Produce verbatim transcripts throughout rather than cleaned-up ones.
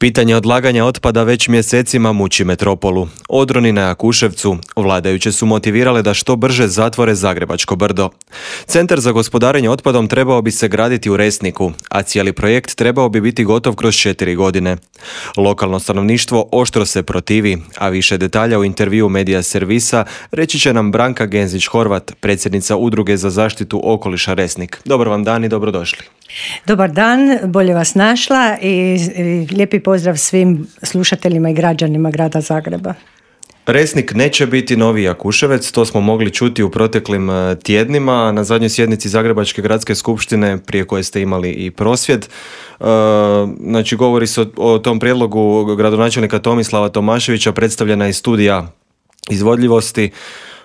Pitanje odlaganja otpada već mjesecima muči metropolu. Odroni na Jakuševcu vladajuće su motivirale da što brže zatvore Zagrebačko brdo. Centar za gospodarenje otpadom trebao bi se graditi u Resniku, a cijeli projekt trebao bi biti gotov kroz četiri godine. Lokalno stanovništvo oštro se protivi, a više detalja u intervju Medija servisa reći će nam Branka Genzić-Horvat, predsjednica Udruge za zaštitu okoliša Resnik. Dobar vam dan i dobrodošli. Dobar dan, bolje vas našla i, i lijepi pozdrav svim slušateljima i građanima grada Zagreba. Resnik neće biti novi Jakuševec, to smo mogli čuti u proteklim tjednima na zadnjoj sjednici Zagrebačke gradske skupštine prije koje ste imali i prosvjed. Znači govori se o, o tom prijedlogu gradonačelnika Tomislava Tomaševića, predstavljena je studija izvodljivosti.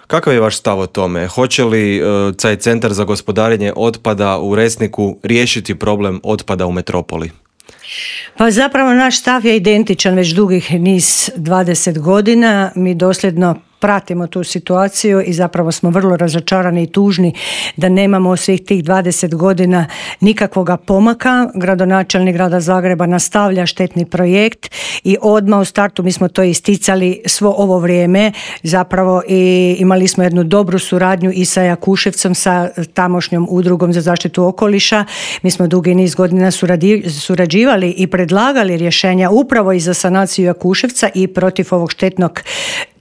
Kakav je vaš stav o tome? Hoće li uh, taj centar za gospodarenje otpada u Resniku riješiti problem otpada u metropoli? Pa zapravo naš stav je identičan već dugih niz dvadeset godina. Mi dosljedno pratimo tu situaciju i zapravo smo vrlo razočarani i tužni da nemamo svih tih dvadeset godina nikakvoga pomaka. Gradonačelnik grada Zagreba nastavlja štetni projekt i odmah u startu mi smo to isticali svo ovo vrijeme. Zapravo i imali smo jednu dobru suradnju i sa Jakuševcom, sa tamošnjom udrugom za zaštitu okoliša. Mi smo dugi niz godina suradi, surađivali i predlagali rješenja upravo i za sanaciju Jakuševca i protiv ovog štetnog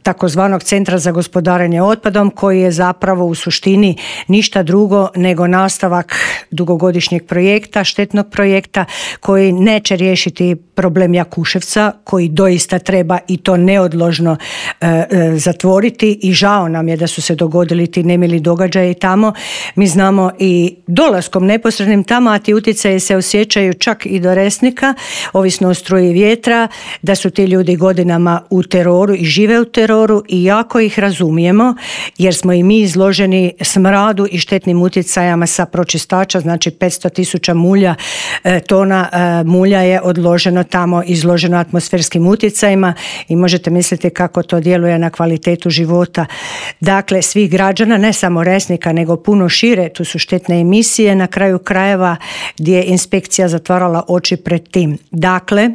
takozvanog centra za gospodarenje otpadom, koji je zapravo u suštini ništa drugo nego nastavak dugogodišnjeg projekta, štetnog projekta koji neće riješiti problem Jakuševca, koji doista treba i to neodložno e, e, zatvoriti i žao nam je da su se dogodili ti nemili događaji tamo. Mi znamo i dolaskom neposrednim tamo, a ti utjecaji se osjećaju čak i do Resnika, ovisno o struji vjetra, da su ti ljudi godinama u teroru i žive u teroru i jako ih razumijemo jer smo i mi izloženi smradu i štetnim utjecajama sa pročistača, znači petsto tisuća mulja, tona mulja je odloženo tamo, izloženo atmosferskim utjecajima i možete misliti kako to djeluje na kvalitetu života. Dakle, svih građana, ne samo Resnika, nego puno šire, tu su štetne emisije na kraju krajeva gdje je inspekcija zatvarala oči pred tim. Dakle,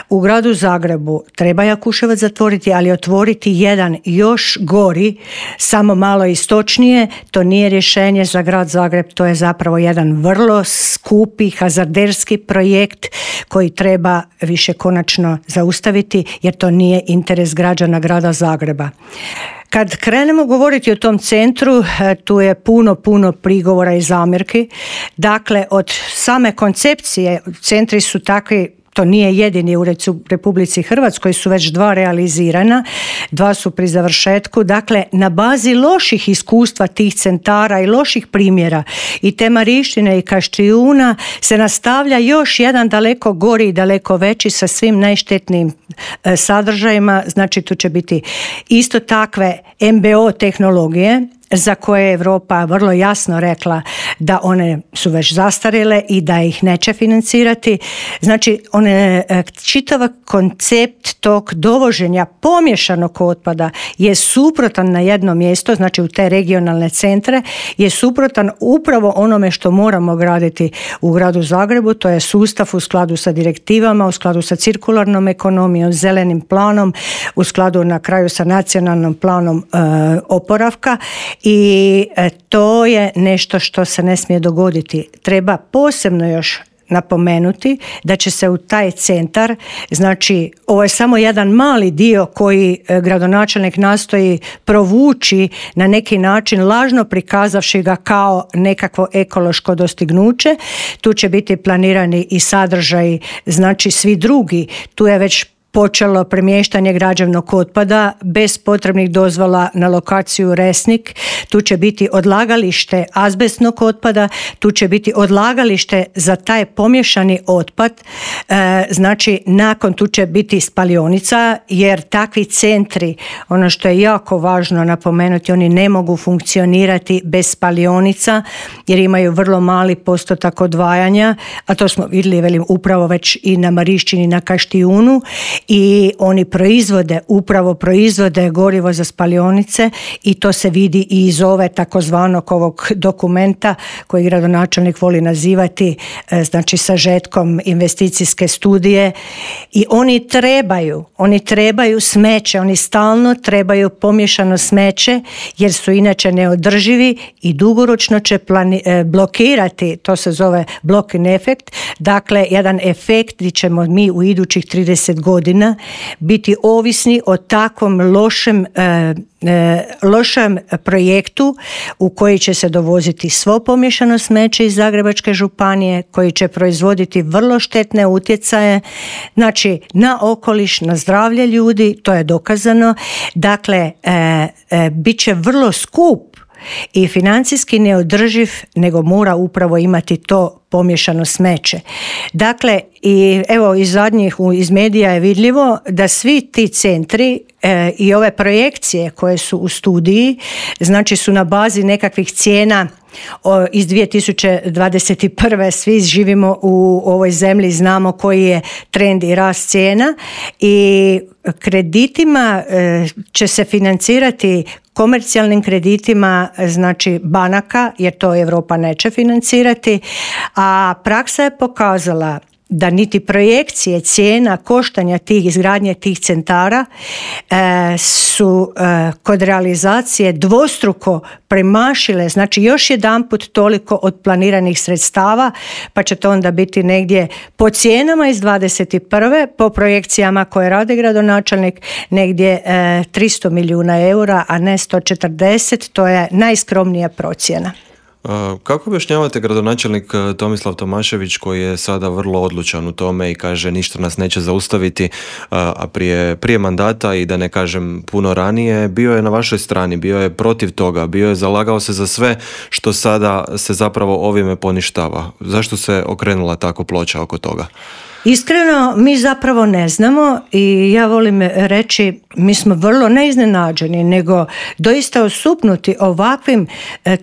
u gradu Zagrebu treba Jakuševac zatvoriti, ali otvoriti jedan još gori, samo malo istočnije, to nije rješenje za grad Zagreb, to je zapravo jedan vrlo skupi, hazarderski projekt koji treba više konačno zaustaviti jer to nije interes građana grada Zagreba. Kad krenemo govoriti o tom centru, tu je puno, puno prigovora i zamjerki. Dakle, od same koncepcije, centri su takvi, to nije jedini ured u Republici Hrvatskoj, su već dva realizirana, dva su pri završetku. Dakle, na bazi loših iskustva tih centara i loših primjera i te Marišćine i Kaštijuna se nastavlja još jedan daleko gori i daleko veći sa svim najštetnijim e, sadržajima. Znači, tu će biti isto takve em be o tehnologije za koje je Europa vrlo jasno rekla da one su već zastarjele i da ih neće financirati. Znači, one, čitav koncept tog dovoženja pomješanog otpada je suprotan na jedno mjesto, znači u te regionalne centre, je suprotan upravo onome što moramo graditi u gradu Zagrebu, to je sustav u skladu sa direktivama, u skladu sa cirkularnom ekonomijom, zelenim planom, u skladu na kraju sa nacionalnom planom e, oporavka. I to je nešto što se ne smije dogoditi. Treba posebno još napomenuti da će se u taj centar, znači ovo je samo jedan mali dio koji gradonačelnik nastoji provući na neki način, lažno prikazavši ga kao nekakvo ekološko dostignuće. Tu će biti planirani i sadržaji, znači svi drugi. Tu je već počelo premještanje građevnog otpada bez potrebnih dozvola na lokaciju Resnik. Tu će biti odlagalište azbestnog otpada, tu će biti odlagalište za taj pomješani otpad. E, znači, nakon tu će biti spalionica, jer takvi centri, ono što je jako važno napomenuti, oni ne mogu funkcionirati bez spalionica, jer imaju vrlo mali postotak odvajanja, a to smo vidjeli, velim, upravo već i na Marišćini, na Kaštijunu. i oni proizvode, upravo proizvode gorivo za spalionice i to se vidi i iz ove takozvanog ovog dokumenta koji gradonačelnik voli nazivati znači sažetkom investicijske studije. I oni trebaju, oni trebaju smeće, oni stalno trebaju pomiješano smeće jer su inače neodrživi i dugoročno će plani, blokirati, to se zove block-in efekt, dakle jedan efekt gdje ćemo mi u idućih trideset godina biti ovisni o takvom lošem e, e, lošem projektu u koji će se dovoziti svo pomiješano smeće iz Zagrebačke županije, koji će proizvoditi vrlo štetne utjecaje, znači na okoliš, na zdravlje ljudi, to je dokazano. Dakle, e, e, bit će vrlo skup i financijski neodrživ, nego mora upravo imati to pomiješano smeće. Dakle, i evo iz zadnjih iz medija je vidljivo da svi ti centri e, i ove projekcije koje su u studiji, znači su na bazi nekakvih cijena o, iz dvije tisuće dvadeset prve. Svi živimo u ovoj zemlji, znamo koji je trend i rast cijena i kreditima e, će se financirati komercijalnim kreditima, znači banaka, jer to Europa neće financirati, a praksa je pokazala da niti projekcije cijena koštanja tih izgradnje tih centara e, su e, kod realizacije dvostruko premašile, znači još jedanput toliko od planiranih sredstava, pa će to onda biti negdje po cijenama iz dvadeset prve, po projekcijama koje radi gradonačelnik, negdje e, tristo milijuna eura, a ne sto četrdeset, to je najskromnija procjena. Kako objašnjavate gradonačelnik Tomislav Tomašević koji je sada vrlo odlučan u tome i kaže ništa nas neće zaustaviti, a prije, prije mandata i da ne kažem puno ranije bio je na vašoj strani, bio je protiv toga, bio je zalagao se za sve što sada se zapravo ovime poništava. Zašto se okrenula tako ploča oko toga? Iskreno, mi zapravo ne znamo i ja volim reći, mi smo vrlo neiznenađeni, nego doista osupnuti ovakvim,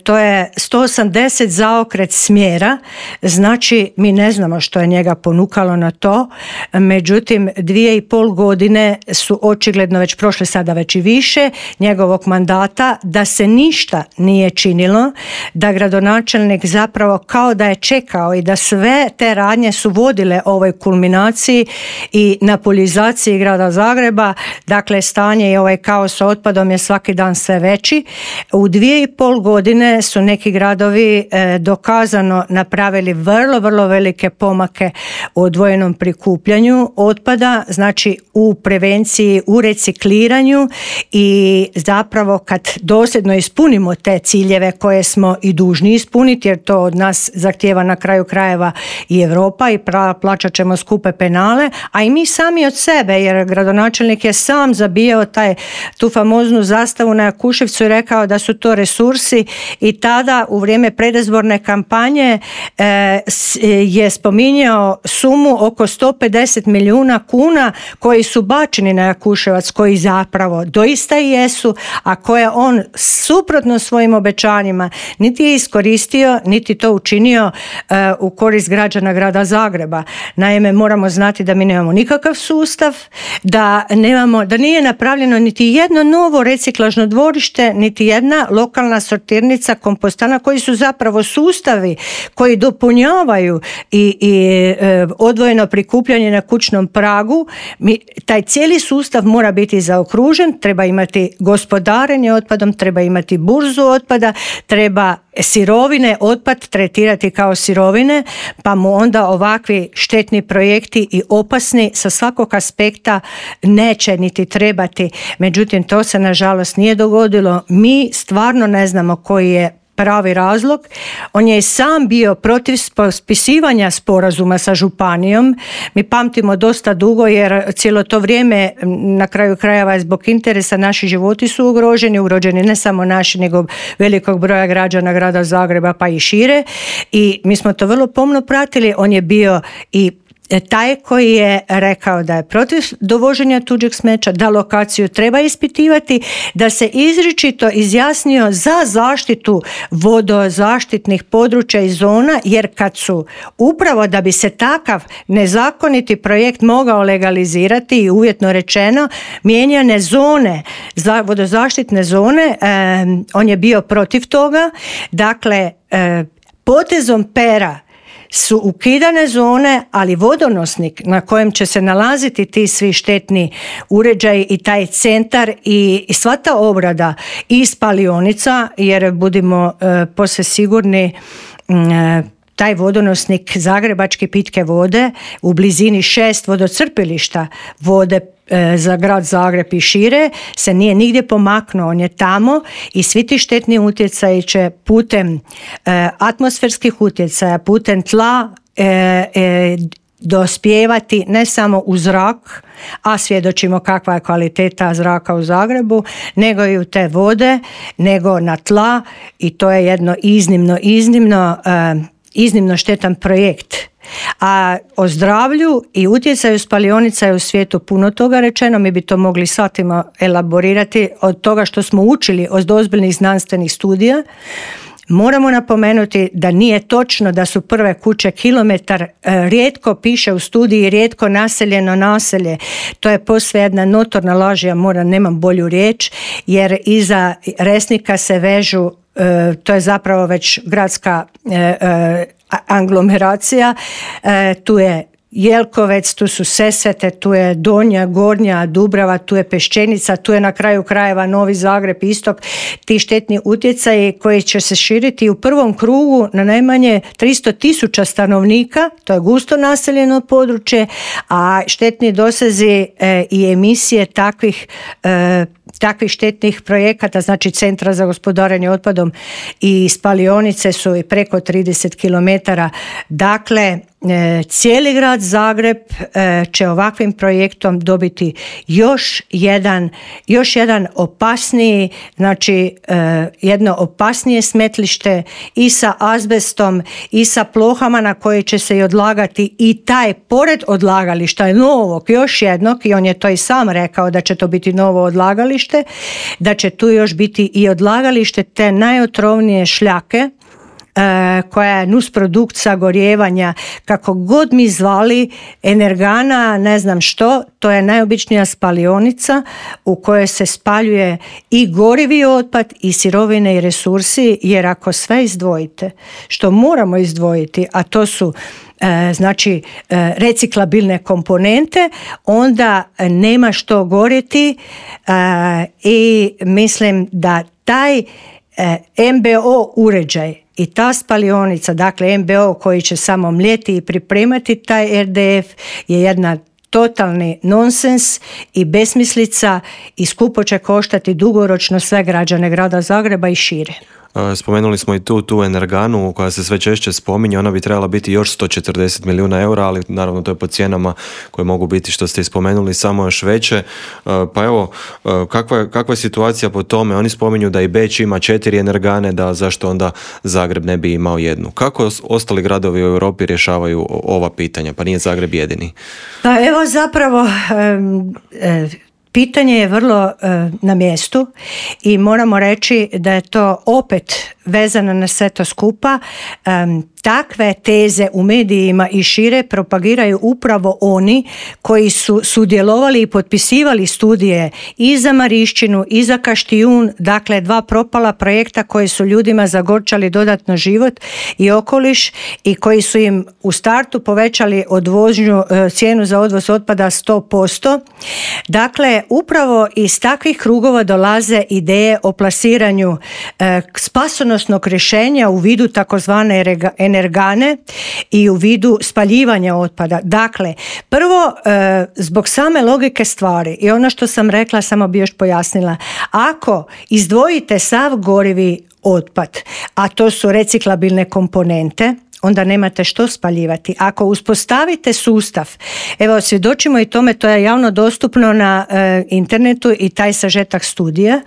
to je sto osamdeset zaokret smjera, znači mi ne znamo što je njega ponukalo na to, međutim dvije i pol godine su očigledno već prošle, sada već i više, njegovog mandata, da se ništa nije činilo, da gradonačelnik zapravo kao da je čekao i da sve te radnje su vodile ovoj kulminaciji i napolizaciji grada Zagreba. Dakle, stanje i ovaj kaos sa otpadom je svaki dan sve veći. U dvije i pol godine su neki gradovi e, dokazano napravili vrlo, vrlo velike pomake u odvojenom prikupljanju otpada, znači u prevenciji, u recikliranju i zapravo kad dosljedno ispunimo te ciljeve koje smo i dužni ispuniti, jer to od nas zahtijeva na kraju krajeva i Europa i plaćat ćemo skupe penale, a i mi sami od sebe, jer gradonačelnik je sam zabijao taj, tu famoznu zastavu na Jakuševcu i rekao da su to resursi i tada u vrijeme predizborne kampanje e, je spominjao sumu oko sto pedeset milijuna kuna koji su bačeni na Jakuševac, koji zapravo doista i jesu, a koje on suprotno svojim obećanjima niti je iskoristio, niti to učinio e, u korist građana grada Zagreba. Naime, moramo znati da mi nemamo nikakav sustav, da nemamo, da nije napravljeno niti jedno novo reciklažno dvorište, niti jedna lokalna sortirnica, kompostana, koji su zapravo sustavi koji dopunjavaju i, i e, odvojeno prikupljanje na kućnom pragu. Mi, taj cijeli sustav mora biti zaokružen, treba imati gospodarenje otpadom, treba imati burzu otpada, treba sirovine, otpad tretirati kao sirovine, pa mu onda ovakvi štetni projekti i opasni sa svakog aspekta neće niti trebati. Međutim, to se nažalost nije dogodilo. Mi stvarno ne znamo koji je pravi razlog. On je i sam bio protiv potpisivanja sporazuma sa županijom. Mi pamtimo dosta dugo jer cijelo to vrijeme na kraju krajeva zbog interesa naši životi su ugroženi, ugroženi ne samo naši nego velikog broja građana grada Zagreba pa i šire i mi smo to vrlo pomno pratili. On je bio i taj koji je rekao da je protiv dovoženja tuđeg smeća, da lokaciju treba ispitivati, da se izričito izjasnio za zaštitu vodozaštitnih područja i zona, jer kad su upravo da bi se takav nezakoniti projekt mogao legalizirati i uvjetno rečeno mijenjane zone, za vodozaštitne zone, eh, on je bio protiv toga. Dakle, eh, potezom pera su ukidane zone, ali vodonosnik na kojem će se nalaziti ti svi štetni uređaji i taj centar i, i sva ta obrada i spalionica, jer budimo e, posve sigurni e, taj vodonosnik zagrebačke pitke vode u blizini šest vodocrpilišta vode e, za grad Zagreb i šire se nije nigdje pomaknuo, on je tamo i svi ti štetni utjecaji će putem e, atmosferskih utjecaja, putem tla e, e, dospijevati ne samo u zrak, a svjedočimo kakva je kvaliteta zraka u Zagrebu, nego i u te vode, nego na tla i to je jedno iznimno, iznimno e, iznimno štetan projekt. A o zdravlju i utjecaju spalionica je u svijetu puno toga rečeno, mi bi to mogli satima elaborirati od toga što smo učili od ozbiljnih znanstvenih studija. Moramo napomenuti da nije točno da su prve kuće kilometar, rijetko piše u studiji, rijetko naseljeno naselje. To je posve jedna notorna laž, ja moram, nemam bolju riječ, jer iza Resnika se vežu, to je zapravo već gradska aglomeracija, tu je Jelkovec, tu su Sesvete, tu je Donja, Gornja, Dubrava, tu je Peščenica, tu je na kraju krajeva Novi Zagreb, Istok, ti štetni utjecaji koji će se širiti u prvom krugu na najmanje tristo tisuća stanovnika, to je gusto naseljeno područje, a štetni dosezi e, i emisije takvih e, takvih štetnih projekata, znači Centra za gospodarenje otpadom i spalionice su i preko trideset kilometara. Dakle, cijeli grad Zagreb će ovakvim projektom dobiti još jedan, još jedan opasniji, znači jedno opasnije smetlište i sa azbestom i sa plohama na koje će se i odlagati i taj pored odlagališta novog, još jednog, i on je to i sam rekao da će to biti novo odlagalište, da će tu još biti i odlagalište te najotrovnije šljake koja je nusprodukt sagorijevanja, kako god mi zvali, energana, ne znam što, to je najobičnija spalionica u kojoj se spaljuje i gorivi otpad i sirovine i resursi, jer ako sve izdvojite, što moramo izdvojiti, a to su znači reciklabilne komponente, onda nema što gorjeti i mislim da taj em be o uređaj i ta spalionica, dakle em be o koji će samo mljeti i pripremati taj er de ef, je jedna totalni nonsens i besmislica i skupo će koštati dugoročno sve građane grada Zagreba i šire. Spomenuli smo i tu, tu energanu koja se sve češće spominje, ona bi trebala biti još sto četrdeset milijuna eura, ali naravno to je po cijenama koje mogu biti, što ste i spomenuli, samo još veće. Pa evo, kakva je, kakva je situacija po tome? Oni spominju da i Beč ima četiri energane, da zašto onda Zagreb ne bi imao jednu? Kako ostali gradovi u Europi rješavaju ova pitanja? Pa nije Zagreb jedini. Pa evo zapravo... Um, um, Pitanje je vrlo e, na mjestu i moramo reći da je to opet vezano na sve to skupa. E, takve teze u medijima i šire propagiraju upravo oni koji su sudjelovali i potpisivali studije i za Marišćinu i za Kaštijun, dakle dva propala projekta koji su ljudima zagorčali dodatno život i okoliš i koji su im u startu povećali odvožnju, e, cijenu za odvoz otpada sto posto. Dakle, upravo iz takvih krugova dolaze ideje o plasiranju e, spasonosnog rješenja u vidu takozvane energane i u vidu spaljivanja otpada. Dakle, prvo, e, zbog same logike stvari i ono što sam rekla, samo bi još pojasnila, ako izdvojite sav gorivi otpad, a to su reciklabilne komponente, onda nemate što spaljivati. Ako uspostavite sustav, evo svjedočimo i tome, to je javno dostupno na e, internetu i taj sažetak studija,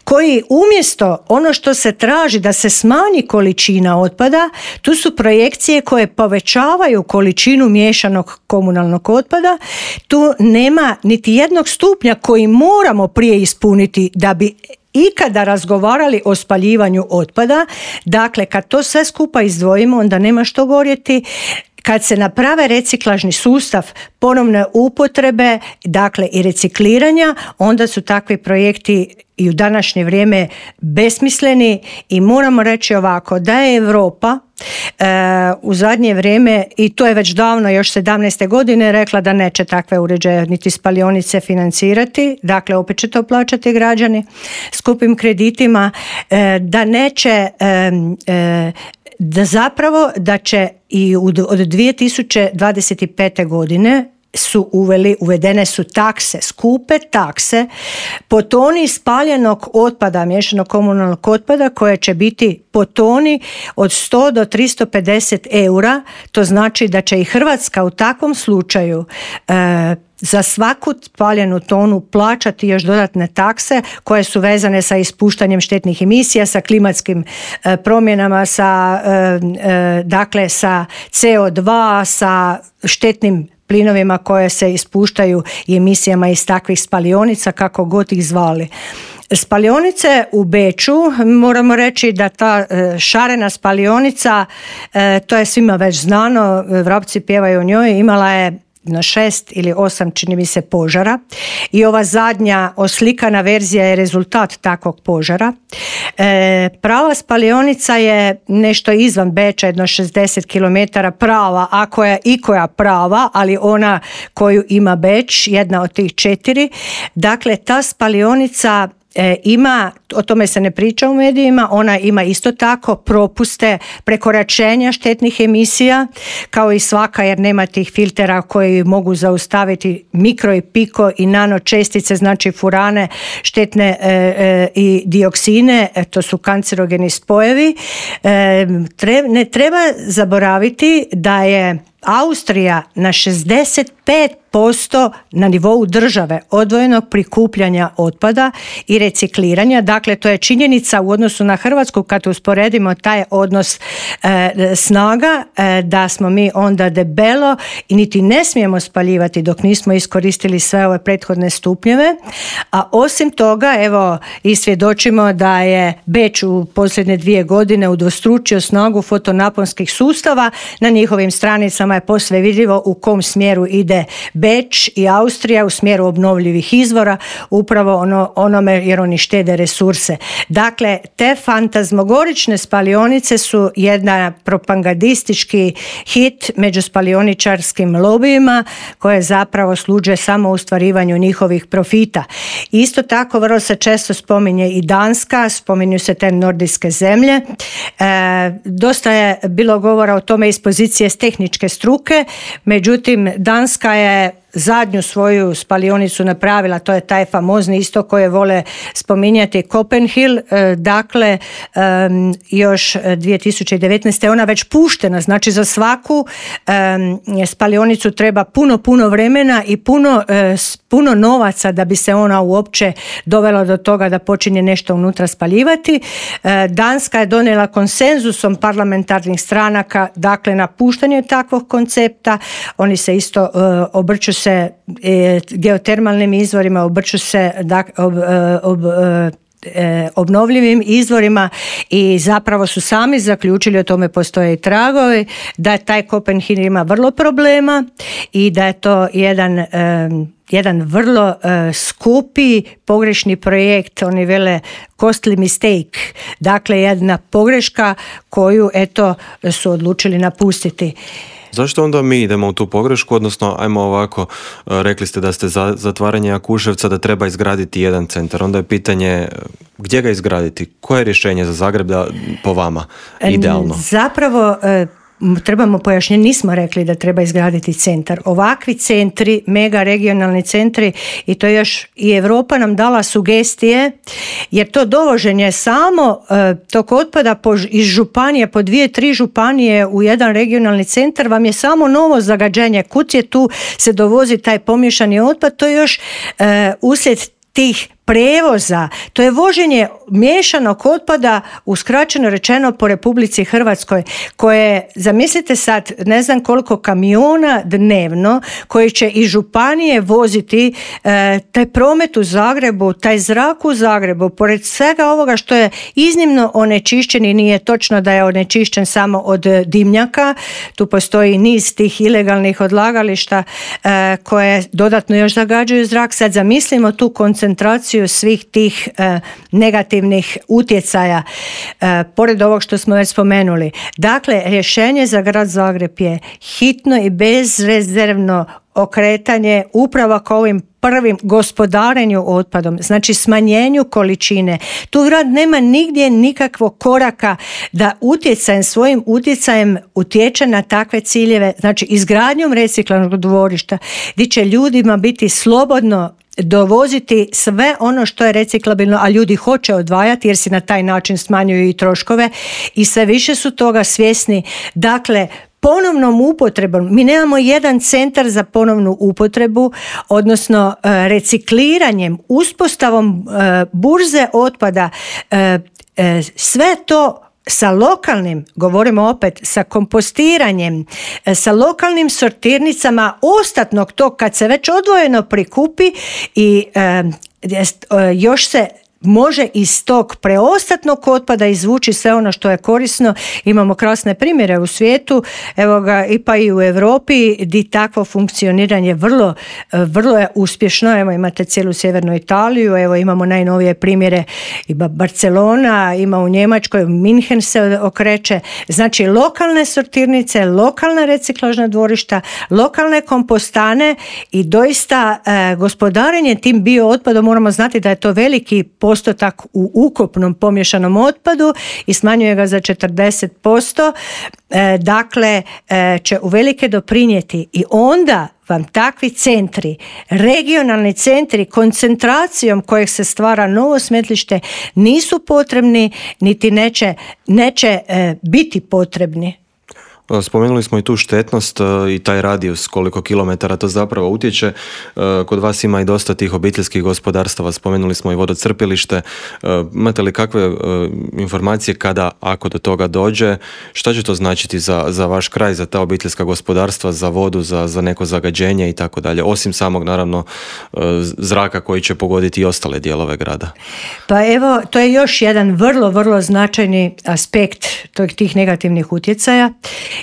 koji umjesto ono što se traži da se smanji količina otpada, tu su projekcije koje povećavaju količinu miješanog komunalnog otpada. Tu nema niti jednog stupnja koji moramo prije ispuniti da bi ikada razgovarali o spaljivanju otpada. Dakle, kad to sve skupa izdvojimo, onda nema što gorjeti. Kad se naprave reciklažni sustav ponovne upotrebe, dakle i recikliranja, onda su takvi projekti i u današnje vrijeme besmisleni i moramo reći ovako, da je Europa e, u zadnje vrijeme, i to je već davno, još sedamnaeste godine, rekla da neće takve uređaje niti spalionice financirati, dakle opet će to plaćati građani skupim kreditima, e, da neće e, e, da zapravo da će i od dvije tisuće dvadeset pete godine su uveli, uvedene su takse, skupe takse po toni spaljenog otpada, miješanog komunalnog otpada, koje će biti po toni od sto do tristo pedeset eura. To znači da će i Hrvatska u takvom slučaju e, za svaku spaljenu tonu plaćati još dodatne takse koje su vezane sa ispuštanjem štetnih emisija, sa klimatskim e, promjenama, sa, e, e, dakle, sa C O dva, sa štetnim plinovima koje se ispuštaju i emisijama iz takvih spalionica, kako god ih zvali. Spalionice u Beču, moramo reći da ta šarena spalionica, to je svima već znano, vrapci pjevaju o njoj, imala je na šest ili osam, čini mi se, požara i ova zadnja oslikana verzija je rezultat takvog požara. E, prava spalionica je nešto izvan Beča, jedno šezdeset kilometara prava, ako je ikoja prava, ali ona koju ima Beč, jedna od tih četiri. Dakle, ta spalionica E, ima, o tome se ne priča u medijima, ona ima isto tako propuste prekoračenja štetnih emisija, kao i svaka, jer nema tih filtera koji mogu zaustaviti mikro i piko i nano čestice, znači furane, štetne e, e, i dioksine, e, to su kancerogeni spojevi. E, tre, ne treba zaboraviti da je Austrija na šezdeset pet posto na nivou države odvojenog prikupljanja otpada i recikliranja. Dakle, to je činjenica u odnosu na Hrvatsku, kad usporedimo taj odnos e, snaga, e, da smo mi onda debelo i niti ne smijemo spaljivati dok nismo iskoristili sve ove prethodne stupnjeve. A osim toga, evo, i svjedočimo da je Beč u posljednje dvije godine udvostručio snagu fotonaponskih sustava. Na njihovim stranicama je posve vidljivo u kom smjeru ide Beč i Austrija, u smjeru obnovljivih izvora, upravo ono, onome jer oni štede resurse. Dakle, te fantazmogorične spalionice su jedna propagandistički hit među spalioničarskim lobijima koje zapravo služe samo u ostvarivanju njihovih profita. Isto tako vrlo se često spominje i Danska, spominju se te nordijske zemlje. E, dosta je bilo govora o tome iz pozicije tehničke struke, međutim Danska je zadnju svoju spalionicu napravila, to je taj famozni isto koje vole spominjati Copenhill, dakle još dvije tisuće devetnaeste. ona već puštena, znači za svaku spalionicu treba puno, puno vremena i puno, puno novaca da bi se ona uopće dovela do toga da počinje nešto unutra spaljivati. Danska je donijela konsenzusom parlamentarnih stranaka, dakle na puštanje takvog koncepta. Oni se isto obrću se geotermalnim izvorima, obrću se ob, ob, obnovljivim izvorima i zapravo su sami zaključili, o tome postoje i tragovi, da taj Copenhagen ima vrlo problema i da je to jedan jedan vrlo uh, skupi pogrešni projekt, oni vele costly mistake, dakle jedna pogreška koju eto su odlučili napustiti. Zašto onda mi idemo u tu pogrešku, odnosno ajmo ovako, rekli ste da ste za zatvaranje Jakuševca da treba izgraditi jedan centar, onda je pitanje gdje ga izgraditi, koje je rješenje za Zagreb da, po vama idealno? Zapravo trebamo pojašnjenje, nismo rekli da treba izgraditi centar. Ovakvi centri, mega regionalni centri, i to još i Europa nam dala sugestije, jer to dovoženje samo e, tog otpada po, iz županije, po dvije, tri županije u jedan regionalni centar vam je samo novo zagađenje. Kud je tu se dovozi taj pomiješani otpad, to je još e, uslijed tih prevoza, to je voženje miješanog otpada, uskraćeno rečeno, po Republici Hrvatskoj, koje, zamislite sad, ne znam koliko kamiona dnevno koji će iz županije voziti e, taj promet u Zagrebu, taj zrak u Zagrebu, pored svega ovoga što je iznimno onečišćen, i nije točno da je onečišćen samo od dimnjaka, tu postoji niz tih ilegalnih odlagališta e, koje dodatno još zagađuju zrak. Sad zamislimo tu koncentraciju svih tih e, negativnih utjecaja, e, pored ovog što smo već spomenuli. Dakle, rješenje za grad Zagreb je hitno i bezrezervno okretanje upravo kao ovim prvim gospodarenju otpadom, znači smanjenju količine. Tu grad nema nigdje nikakvog koraka da utjecajem, svojim utjecajem utječe na takve ciljeve, znači izgradnjom reciklažnog dvorišta gdje će ljudima biti slobodno dovoziti sve ono što je reciklabilno, a ljudi hoće odvajati jer si na taj način smanjuju i troškove i sve više su toga svjesni. Dakle, ponovnom upotrebom, mi nemamo jedan centar za ponovnu upotrebu, odnosno recikliranjem, uspostavom burze otpada, sve to sa lokalnim, govorimo opet, sa kompostiranjem, sa lokalnim sortirnicama ostatnog tog kad se već odvojeno prikupi i e, još se može iz tog preostatnog otpada izvući sve ono što je korisno. Imamo krasne primjere u svijetu, evo ga, i pa i u Europi, gdje takvo funkcioniranje vrlo, vrlo je uspješno. Evo imate cijelu sjevernu Italiju, evo imamo najnovije primjere, i Barcelona, ima u Njemačkoj, Minhen se okreće. Znači lokalne sortirnice, lokalna reciklažna dvorišta, lokalne kompostane i doista e, gospodarenje tim bio otpadom, moramo znati da je to veliki postotak u ukupnom pomješanom otpadu i smanjuje ga za četrdeset posto, e, dakle e, će uvelike doprinijeti. I onda vam takvi centri, regionalni centri, koncentracijom kojeg se stvara novo smetlište, nisu potrebni niti neće, neće e, biti potrebni. Spomenuli smo i tu štetnost i taj radijus, koliko kilometara to zapravo utječe. Kod vas ima i dosta tih obiteljskih gospodarstava, spomenuli smo i vodocrpilište. Imate li kakve informacije kada, ako do toga dođe, šta će to značiti za, za vaš kraj, za ta obiteljska gospodarstva, za vodu, za, za neko zagađenje i tako dalje, osim samog naravno zraka koji će pogoditi i ostale dijelove grada? Pa evo, to je još jedan vrlo, vrlo značajni aspekt tih negativnih utjecaja.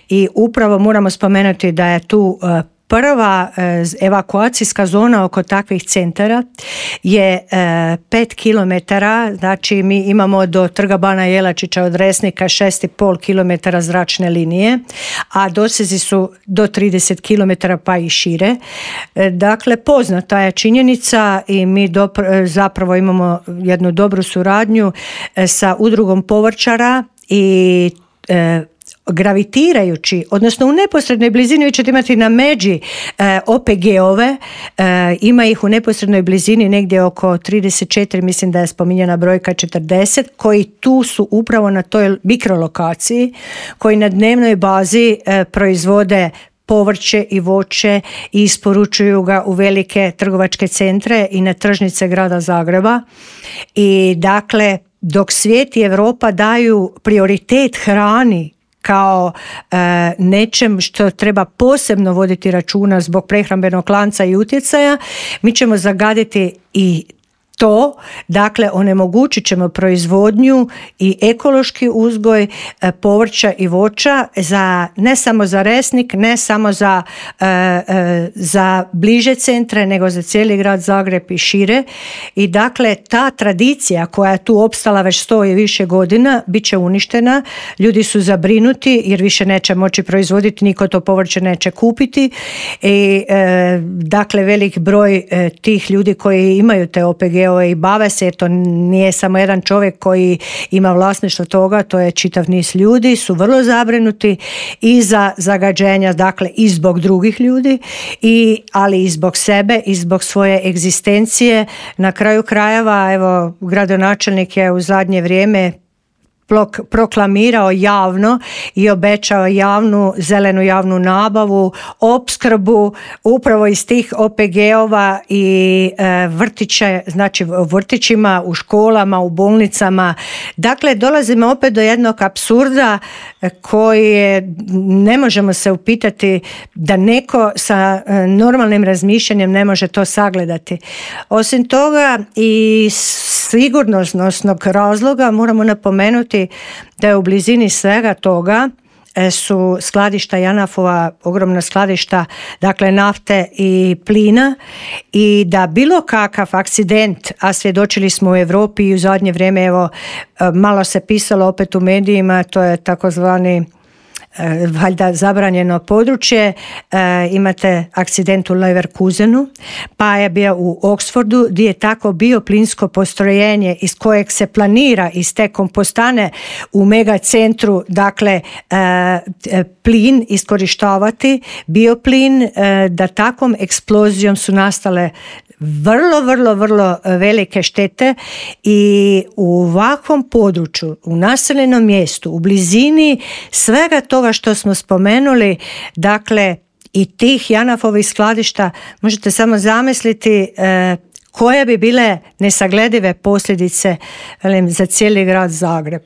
I upravo moramo spomenuti da je tu prva evakuacijska zona oko takvih centara je pet kilometara, znači mi imamo do Trga Bana Jelačića od Resnika šest i pol kilometara zračne linije, a dosezi su do trideset kilometara pa i šire. Dakle, poznata je činjenica i mi dopr- zapravo imamo jednu dobru suradnju sa udrugom povrćara i e, gravitirajući, odnosno u neposrednoj blizini, vi ćete imati na međi e, O P G-ove, e, ima ih u neposrednoj blizini negdje oko trideset četiri, mislim da je spominjena brojka četrdeset, koji tu su upravo na toj mikrolokaciji, koji na dnevnoj bazi e, proizvode povrće i voće i isporučuju ga u velike trgovačke centre i na tržnice grada Zagreba. I dakle, dok svijet i Europa daju prioritet hrani kao e, nečem što treba posebno voditi računa zbog prehrambenog lanca i utjecaja, mi ćemo zagaditi i to, dakle onemogućit ćemo proizvodnju i ekološki uzgoj e, povrća i voća za, ne samo za Resnik, ne samo za, e, e, za bliže centre, nego za cijeli grad Zagreb i šire. I dakle ta tradicija koja je tu opstala već sto i više godina bit će uništena. Ljudi su zabrinuti jer više neće moći proizvoditi, niko to povrće neće kupiti. I e, dakle velik broj e, tih ljudi koji imaju te O P G deo i bave se, jer to nije samo jedan čovjek koji ima vlasništvo toga, to je čitav niz ljudi, su vrlo zabrinuti i za zagađenja, dakle i zbog drugih ljudi, i, ali i zbog sebe i zbog svoje egzistencije. Na kraju krajeva, evo, gradonačelnik je u zadnje vrijeme proklamirao javno i obećao javnu, zelenu javnu nabavu, opskrbu upravo iz tih O P G-ova i e, vrtiće, znači u vrtićima, u školama, u bolnicama. Dakle, dolazimo opet do jednog apsurda koji je, ne možemo se upitati da neko sa normalnim razmišljanjem ne može to sagledati. Osim toga, i sigurnosnog razloga moramo napomenuti da je u blizini svega toga su skladišta JANAF-ova, ogromna skladišta, dakle nafte i plina, i da bilo kakav akcident, a svjedočili smo u Europi i u zadnje vrijeme, evo, malo se pisalo opet u medijima, to je takozvani valjda zabranjeno područje, e, imate akcident u Leverkusenu, pa je bio u Oxfordu gdje je tako bioplinsko postrojenje iz kojeg se planira iz te kompostane u megacentru, dakle e, plin iskorištavati, bioplin, e, da takvom eksplozijom su nastale vrlo, vrlo, vrlo velike štete, i u ovakvom području, u naseljenom mjestu, u blizini svega toga što smo spomenuli, dakle i tih JANAF-ovih skladišta, možete samo zamisliti e, koje bi bile nesagledive posljedice, velim, za cijeli grad Zagreb.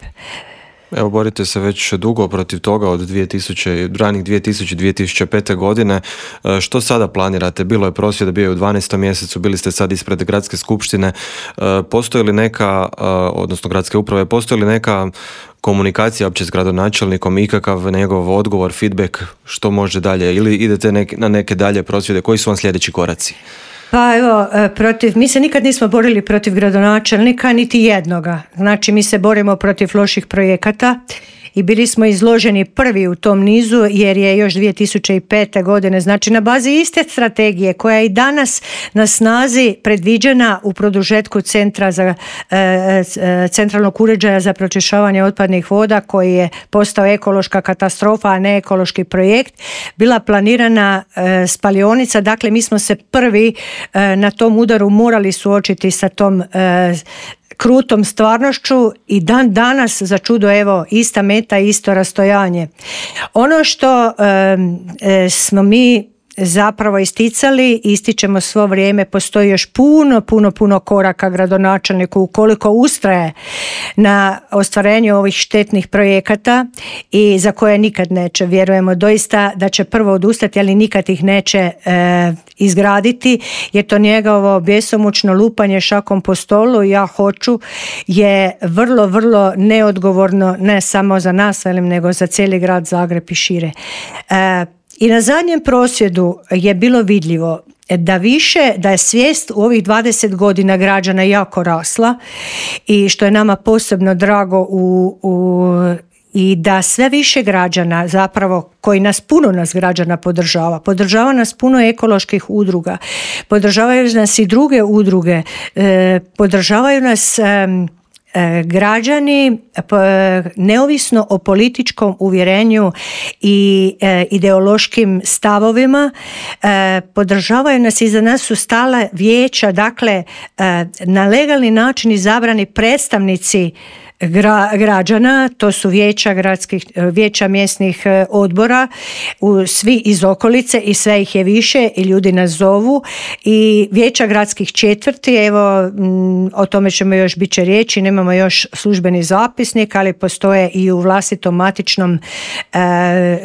Evo, borite se već dugo protiv toga od dvije tisuće, ranih dvije tisuće do dvije tisuće pete. godine. Što sada planirate? Bilo je prosvjeda, bio je u dvanaestom mjesecu, bili ste sad ispred gradske skupštine. Postoji li neka, odnosno gradske uprave, postoji li neka komunikacija uopće s gradonačelnikom, ikakav njegov odgovor, feedback, što može dalje, ili idete nek, na neke dalje prosvjede? Koji su vam sljedeći koraci? Pa evo, protiv, mi se nikad nismo borili protiv gradonačelnika, niti jednoga. Znači, mi se borimo protiv loših projekata i bili smo izloženi prvi u tom nizu, jer je još dvije tisuće pete. godine, znači na bazi iste strategije koja je i danas na snazi, predviđena u produžetku centra za, e, e, centralnog uređaja za pročišćavanje otpadnih voda, koji je postao ekološka katastrofa, a ne ekološki projekt, bila planirana e, spalionica. Dakle, mi smo se prvi e, na tom udaru morali suočiti sa tom e, krutom stvarnošću, i dan danas, za čudo, evo, ista meta, isto rastojanje. Ono što e, smo mi zapravo isticali, ističemo svo vrijeme, postoji još puno, puno, puno koraka gradonačelniku ukoliko ustraje na ostvarenju ovih štetnih projekata, i za koje nikad neće, vjerujemo doista da će prvo odustati, ali nikad ih neće e, izgraditi, jer to njegovo bjesomučno lupanje šakom po stolu, ja hoću, je vrlo, vrlo neodgovorno, ne samo za nas, velim, nego za cijeli grad Zagreb i šire. E, I na zadnjem prosvjedu je bilo vidljivo da više, da je svijest u ovih dvadeset godina građana jako rasla, i što je nama posebno drago, u, u, i da sve više građana, zapravo koji nas, puno nas građana podržava, podržava nas puno ekoloških udruga, podržavaju nas i druge udruge, e, podržavaju nas e, građani neovisno o političkom uvjerenju i e, ideološkim stavovima, e, podržavaju nas, i za nas su stale vijeća, dakle e, na legalni način izabrani predstavnici Gra, građana, to su vijeća gradskih, vijeća mjesnih odbora, u, svi iz okolice, i sve ih je više, i ljudi nas zovu, i vijeća gradskih četvrti, evo m, o tome ćemo još biti će riječi, nemamo još službeni zapisnik, ali postoje i u vlastitom matičnom e,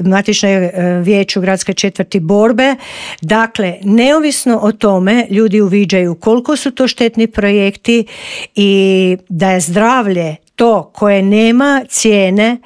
matičnoj vijeću gradske četvrti borbe. Dakle, neovisno o tome, ljudi uviđaju koliko su to štetni projekti i da je zdravlje to koje nema cijene,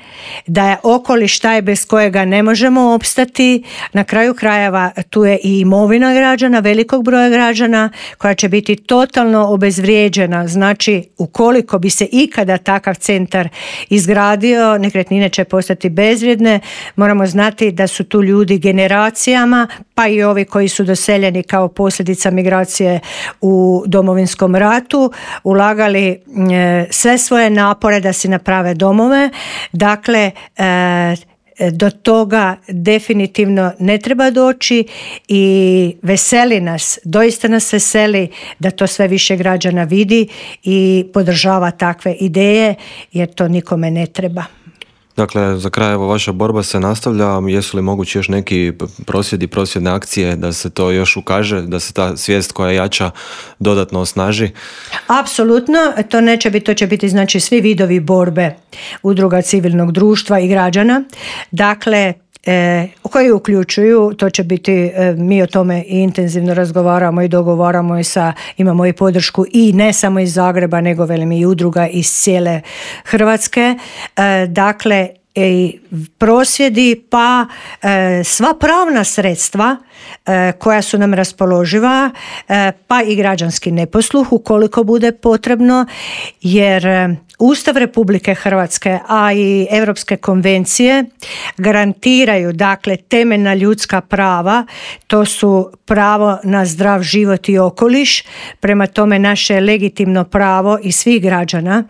da je okoliš taj bez kojega ne možemo opstati. Na kraju krajeva tu je i imovina građana, velikog broja građana, koja će biti totalno obezvrijeđena. Znači, ukoliko bi se ikada takav centar izgradio, nekretnine će postati bezvrijedne. Moramo znati da su tu ljudi generacijama, pa i ovi koji su doseljeni kao posljedica migracije u Domovinskom ratu, ulagali e, sve svoje napore da si naprave domove. Dakle, e, do toga definitivno ne treba doći i veseli nas, doista nas veseli da to sve više građana vidi i podržava takve ideje, jer to nikome ne treba. Dakle, za kraj, evo, vaša borba se nastavlja. Jesu li mogući još neki prosvjedi, prosvjedne akcije da se to još ukaže, da se ta svijest koja jača dodatno osnaži? Apsolutno, to neće biti, to će biti znači svi vidovi borbe udruga civilnog društva i građana. Dakle, E, koji uključuju, to će biti, e, mi o tome i intenzivno razgovaramo i dogovaramo i sa, imamo i podršku i ne samo iz Zagreba, nego velim i udruga iz cijele Hrvatske. E, dakle, i prosvjedi pa e, sva pravna sredstva e, koja su nam raspoloživa, e, pa i građanski neposluh ukoliko bude potrebno, jer e, Ustav Republike Hrvatske, a i Europske konvencije garantiraju, dakle, temeljna ljudska prava. To su pravo na zdrav život i okoliš. Prema tome, naše legitimno pravo i svih građana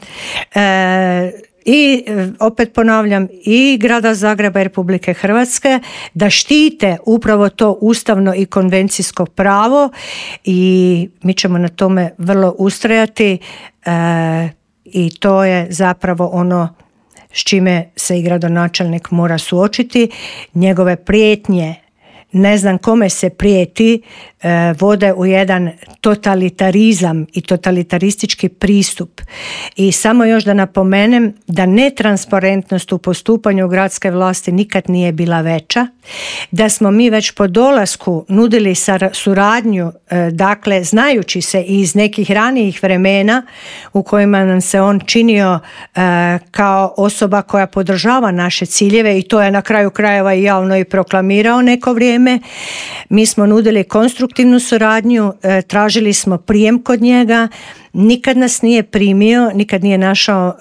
e, i opet ponavljam i Grada Zagreba i Republike Hrvatske da štite upravo to ustavno i konvencijsko pravo, i mi ćemo na tome vrlo ustrajati e, i to je zapravo ono s čime se i gradonačelnik mora suočiti. Njegove prijetnje, ne znam kome se prijeti, vode u jedan totalitarizam i totalitaristički pristup. I samo još da napomenem da netransparentnost u postupanju gradske vlasti nikad nije bila veća, da smo mi već po dolasku nudili suradnju, dakle znajući se iz nekih ranijih vremena u kojima nam se on činio kao osoba koja podržava naše ciljeve, i to je na kraju krajeva i javno i proklamirao neko vrijeme. Mi smo nudili konstruktivnu suradnju, tražili smo prijem kod njega, nikad nas nije primio, nikad nije našao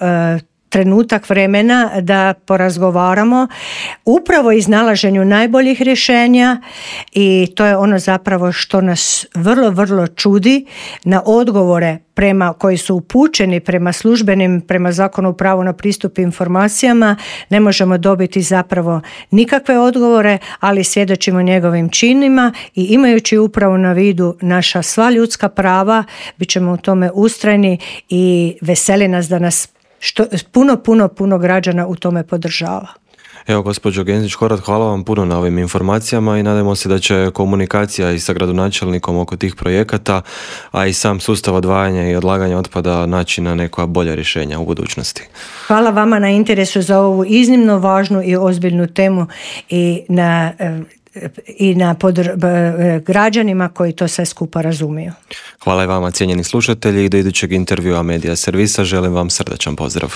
trenutak vremena da porazgovaramo upravo iznalaženju najboljih rješenja, i to je ono zapravo što nas vrlo, vrlo čudi. Na odgovore prema koji su upućeni prema službenim, prema Zakonu o pravu na pristup informacijama, ne možemo dobiti zapravo nikakve odgovore, ali svjedočimo njegovim činima i imajući upravo na vidu naša sva ljudska prava, bit ćemo u tome ustrajni i veseli nas da nas što puno, puno, puno građana u tome podržava. Evo, gospođo Genzić-Horvat, hvala vam puno na ovim informacijama i nadamo se da će komunikacija i sa gradonačelnikom oko tih projekata, a i sam sustav odvajanja i odlaganja otpada naći na neka bolja rješenja u budućnosti. Hvala vama na interesu za ovu iznimno važnu i ozbiljnu temu i na i na podr- građanima koji to sve skupa razumiju. Hvala i vama, cijenjeni slušatelji, i do idućeg intervjua Medija servisa želim vam srdačan pozdrav.